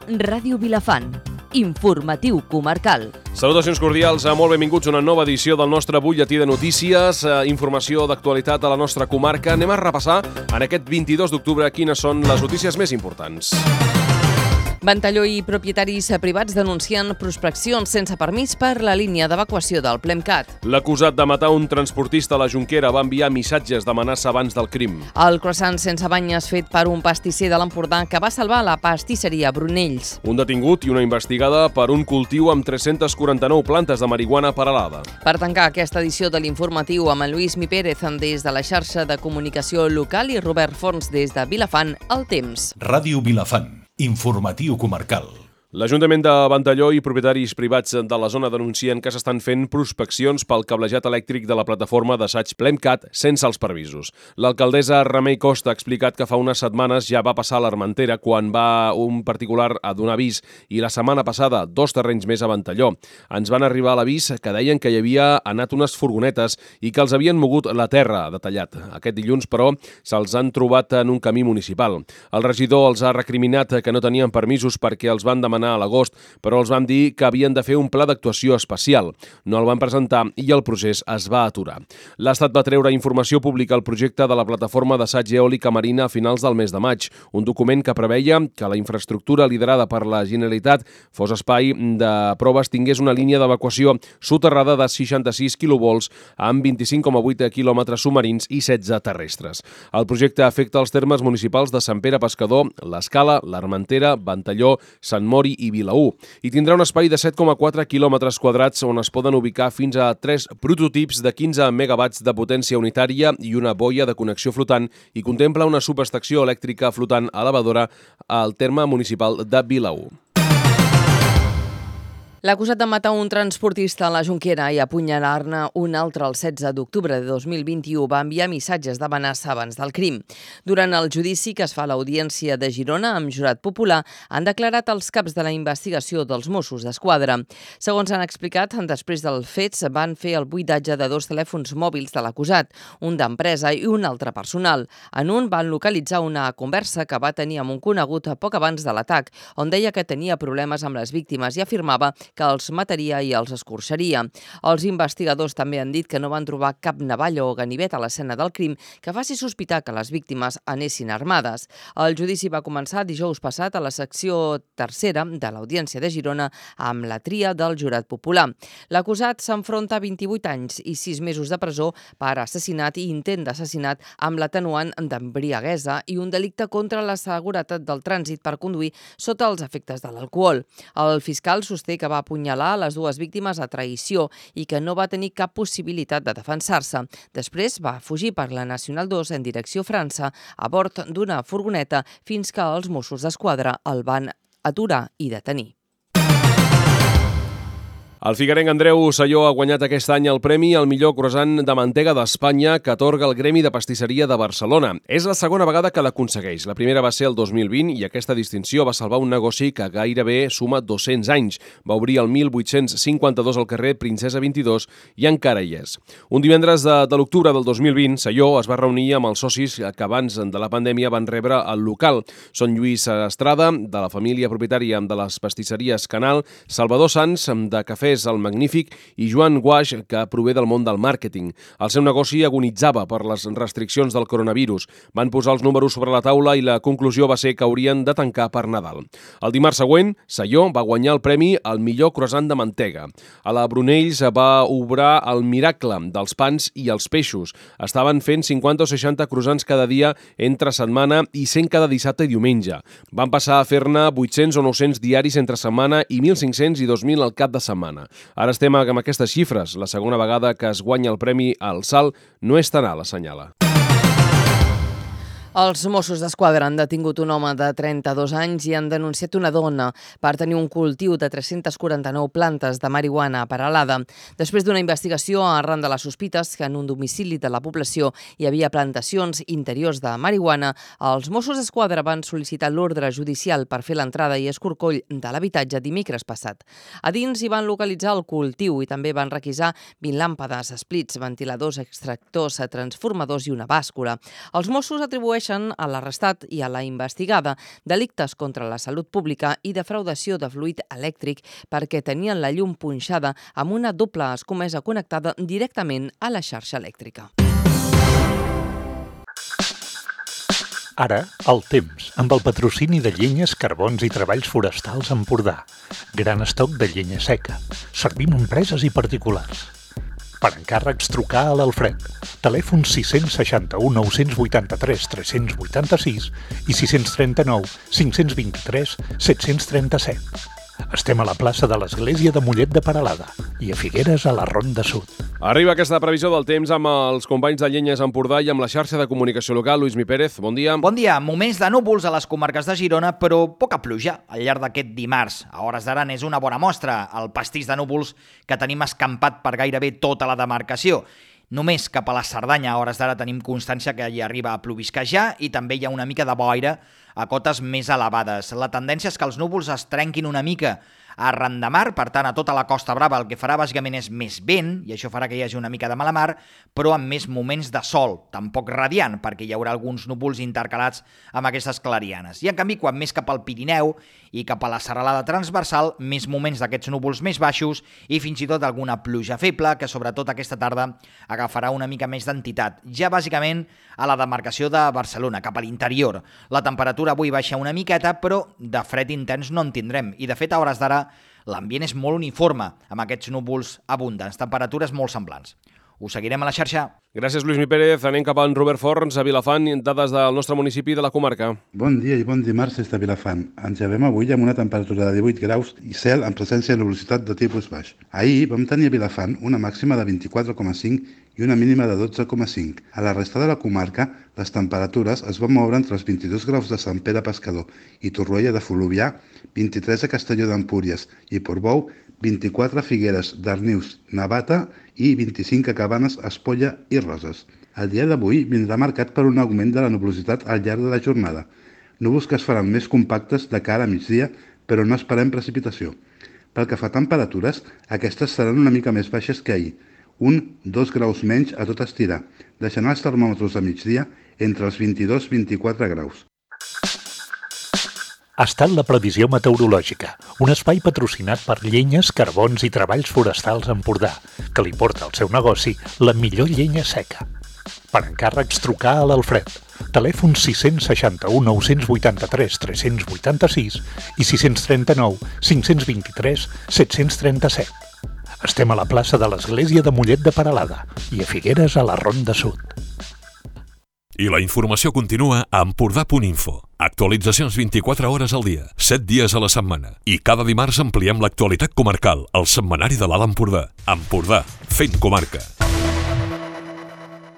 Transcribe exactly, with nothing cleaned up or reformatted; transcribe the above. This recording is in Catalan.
Ràdio Vilafant, informatiu comarcal. Salutacions cordials, molt benvinguts a una nova edició del nostre butlletí de notícies, informació d'actualitat a la nostra comarca. Anem a repassar en aquest vint-i-dos d'octubre quines són les notícies més importants. Ventalló i propietaris privats denuncien prospeccions sense permís per la línia d'evacuació del Plemcat. L'acusat de matar un transportista a la Jonquera va enviar missatges d'amenaça abans del crim. El croissant sense banyes fet per un pastisser de l'Empordà que va salvar la pastisseria Brunells. Un detingut i una investigada per un cultiu amb tres-centes quaranta-nou plantes de marihuana paral·lada. Per tancar aquesta edició de l'informatiu amb en Lluís Mi Pérez des de la xarxa de comunicació local i Robert Fons des de Vilafant, El Temps. Ràdio Vilafant. Informatiu comarcal. L'Ajuntament de Ventalló i propietaris privats de la zona denuncien que s'estan fent prospeccions pel cablejat elèctric de la plataforma d'assaig Plemcat sense els permisos. L'alcaldessa Remei Costa ha explicat que fa unes setmanes ja va passar a l'Armentera quan va un particular a donar avís i la setmana passada dos terrenys més a Ventalló. Ens van arribar a l'avís que deien que hi havia anat unes furgonetes i que els havien mogut la terra, ha detallat. Aquest dilluns, però, se'ls han trobat en un camí municipal. El regidor els ha recriminat que no tenien permisos perquè els van demanar a l'agost, però els van dir que havien de fer un pla d'actuació especial. No el van presentar i el procés es va aturar. L'Estat va treure informació pública al projecte de la plataforma d'assaig eòlica marina a finals del mes de maig, un document que preveia que la infraestructura liderada per la Generalitat fos espai de proves tingués una línia d'evacuació soterrada de seixanta-sis quilovolts amb vint-i-cinc coma vuit quilòmetres submarins i setze terrestres. El projecte afecta els termes municipals de Sant Pere Pescador, l'Escala, l'Armentera, Ventalló, Sant Mori i Vilaür, i tindrà un espai de set coma quatre quilòmetres quadrats on es poden ubicar fins a tres prototips de quinze megawatts de potència unitària i una boia de connexió flotant i contempla una subestació elèctrica flotant elevadora al terme municipal de Vilaür. L'acusat de matar un transportista a la Jonquera i apunyalar-ne un altre el setze d'octubre de dos mil vint-i-u va enviar missatges d'amenaça abans del crim. Durant el judici que es fa a l'Audiència de Girona amb jurat popular, han declarat els caps de la investigació dels Mossos d'Esquadra. Segons han explicat, després dels fets van fer el buidatge de dos telèfons mòbils de l'acusat, un d'empresa i un altre personal. En un van localitzar una conversa que va tenir amb un conegut poc abans de l'atac, on deia que tenia problemes amb les víctimes i afirmava que els mataria i els escorxaria. Els investigadors també han dit que no van trobar cap navalla o ganivet a l'escena del crim que faci sospitar que les víctimes anessin armades. El judici va començar dijous passat a la secció tercera de l'Audiència de Girona amb la tria del jurat popular. L'acusat s'enfronta a vint-i-vuit anys i sis mesos de presó per assassinat i intent d'assassinat amb l'atenuant d'embriaguesa i un delicte contra la seguretat del trànsit per conduir sota els efectes de l'alcohol. El fiscal sosté que va apunyalar les dues víctimes a traïció i que no va tenir cap possibilitat de defensar-se. Després va fugir per la Nacional dos en direcció a França a bord d'una furgoneta fins que els Mossos d'Esquadra el van aturar i detenir. El figuerenc Andreu Salló ha guanyat aquest any el premi al millor croissant de mantega d'Espanya que atorga el Gremi de Pastisseria de Barcelona. És la segona vegada que l'aconsegueix. La primera va ser el dos mil vint i aquesta distinció va salvar un negoci que gairebé suma dos-cents anys. Va obrir el mil vuit-cents cinquanta-dos al carrer Princesa vint-i-dos i encara hi és. Un divendres de, de l'octubre del dos mil vint, Salló es va reunir amb els socis que abans de la pandèmia van rebre el local. Són Lluís Estrada, de la família propietària de les pastisseries Canal, Salvador Sans, de Cafè el Magnífic, i Joan Guaix, que prové del món del màrqueting. El seu negoci agonitzava per les restriccions del coronavirus. Van posar els números sobre la taula i la conclusió va ser que haurien de tancar per Nadal. El dimarts següent, Salló va guanyar el premi al millor croissant de mantega. A la Brunells va obrar el miracle dels pans i els peixos. Estaven fent cinquanta o seixanta croissants cada dia entre setmana i cent cada dissabte i diumenge. Van passar a fer-ne vuit-cents o nou-cents diaris entre setmana i mil cinc-cents i dos mil al cap de setmana. Ara estem amb aquestes xifres. La segona vegada que es guanya el premi al salt no és tan alt, assenyala. Els Mossos d'Esquadra han detingut un home de trenta-dos anys i han denunciat una dona per tenir un cultiu de tres-centes quaranta-nou plantes de marihuana paral·lada. Després d'una investigació arran de les sospites que en un domicili de la població hi havia plantacions interiors de marihuana, els Mossos d'Esquadra van sol·licitar l'ordre judicial per fer l'entrada i escorcoll de l'habitatge dimecres passat. A dins hi van localitzar el cultiu i també van requisar vint làmpades, esplits, ventiladors, extractors, transformadors i una bàscula. Els Mossos atribueixen procedeixen a l'arrestat i a la investigada, delictes contra la salut pública i defraudació de fluid elèctric perquè tenien la llum punxada amb una doble escomesa connectada directament a la xarxa elèctrica. Ara, el temps, amb el patrocini de Llenyes, Carbons i Treballs Forestals Empordà. Gran estoc de llenya seca. Servim empreses i particulars. Per encàrrecs, trucar a l'Alfred. Telèfon sis seixanta-u, nou vuitanta-tres, tres vuitanta-sis i sis trenta-nou, cinc vint-i-tres, set trenta-set. Estem a la plaça de l'Església de Mollet de Peralada i a Figueres, a la Ronda Sud. Arriba aquesta previsió del temps amb els companys de Llenyes Empordà i amb la xarxa de comunicació local. Lluís Mi Pérez, bon dia. Bon dia. Moments de núvols a les comarques de Girona, però poca pluja al llarg d'aquest dimarts. A hores d'ara n'és una bona mostra, el pastís de núvols que tenim escampat per gairebé tota la demarcació. Només cap a la Cerdanya, a hores d'ara, tenim constància que hi arriba a plovisquejar i també hi ha una mica de boira a cotes més elevades. La tendència és que els núvols es trenquin una mica arran de mar, per tant, a tota la Costa Brava el que farà bàsicament és més vent, i això farà que hi hagi una mica de mala mar, però amb més moments de sol, tampoc radiant, perquè hi haurà alguns núvols intercalats amb aquestes clarianes. I en canvi, quan més cap al Pirineu i cap a la serralada transversal, més moments d'aquests núvols més baixos i fins i tot alguna pluja feble, que sobretot aquesta tarda agafarà una mica més d'entitat. Ja bàsicament a la demarcació de Barcelona, cap a l'interior. La temperatura avui baixa una miqueta, però de fred intens no en tindrem. I de fet, a hores d'ara, l'ambient és molt uniforme, amb aquests núvols abundants, temperatures molt semblants. Us seguirem a la xarxa. Gràcies, Lluís Mi Pérez. Anem cap a en Robert Forns, a Vilafant, dades del nostre municipi de la comarca. Bon dia i bon dimarts des de Vilafant. Ens llevem avui amb una temperatura de divuit graus i cel amb presència de nuvolositat de tipus baix. Ahir vam tenir a Vilafant una màxima de vint-i-quatre coma cinc i una mínima de dotze coma cinc. A la resta de la comarca, les temperatures es van moure entre els vint-i-dos graus de Sant Pere Pescador i Torroella de Fluvià, vint-i-tres a Castelló d'Empúries i Portbou, vint-i-quatre a Figueres, Darnius, Navata i vint-i-cinc a Cabanes, Espolla i Roses. El dia d'avui vindrà marcat per un augment de la nuvolositat al llarg de la jornada. Núvols que es faran més compactes de cara a migdia, però no esperem precipitació. Pel que fa a temperatures, aquestes seran una mica més baixes que ahir, un dos graus menys a tot estirar, deixant els termòmetres a migdia entre els vint-i-dos i vint-i-quatre graus. Ha estat la previsió meteorològica, un espai patrocinat per Llenyes, Carbons i Treballs Forestals Empordà, que li porta al seu negoci la millor llenya seca. Per encàrrecs, trucar a l'Alfred. Telèfon sis seixanta-u, nou vuitanta-tres, tres vuitanta-sis i sis trenta-nou, cinc vint-i-tres, set trenta-set. Estem a la plaça de l'Església de Mollet de Peralada i a Figueres, a la Ronda Sud. I la informació continua a empordà punt info. Actualitzacions vint-i-quatre hores al dia, set dies a la setmana. I cada dimarts ampliem l'actualitat comarcal al setmanari de l'Alt Empordà. Empordà, fent comarca.